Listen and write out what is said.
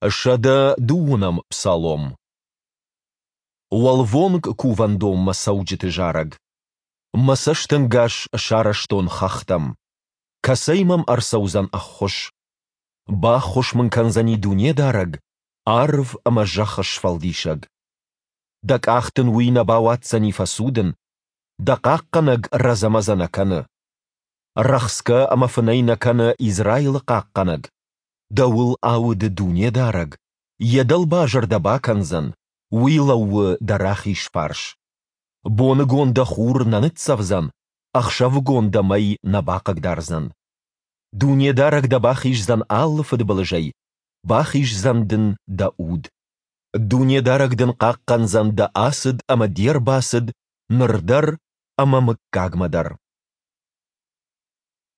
102-ӕм псалом. Уӕлвонг кувӕндонмӕ цӕуджыты зарӕг. Мӕ цӕстӕнгас сарӕзтон хӕхтӕм. Кӕцӕй мӕм ӕрцӕудзӕн ӕххуыс? Баххуыс мын кӕндзӕни Дунедарӕг, арв ӕмӕ зӕхх сфӕлдисӕг. Дӕ къах дын уый нӕ бауадздзӕни фӕцудын, дӕ хъахъхъӕнӕг рӕдзӕ-мӕдзӕ нӕ кӕны. Рӕхсгӕ ӕмӕ фынӕй нӕ кӕны Израилы хъахъхъӕнӕг. Дӕуыл ауды Дунедарӕг, йӕ дӕлбазыр дӕ бакӕндзӕн, уый лӕууы дӕ рахиз фарс. Боныгон дӕ хур нӕ ныццӕвдзӕн, ӕхсӕвыгон дӕ мӕй нӕ бахъыгдардзӕн. Дунедарӕг дӕ бахиздзӕн алы фыдбылызӕй, бахиздзӕн дын дӕ уд. Дунедарӕг дын хъахъхъӕндзӕн дӕ ацыд ӕмӕ де рбацыд ныр дӕр ӕмӕ мыггагмӕ дӕр.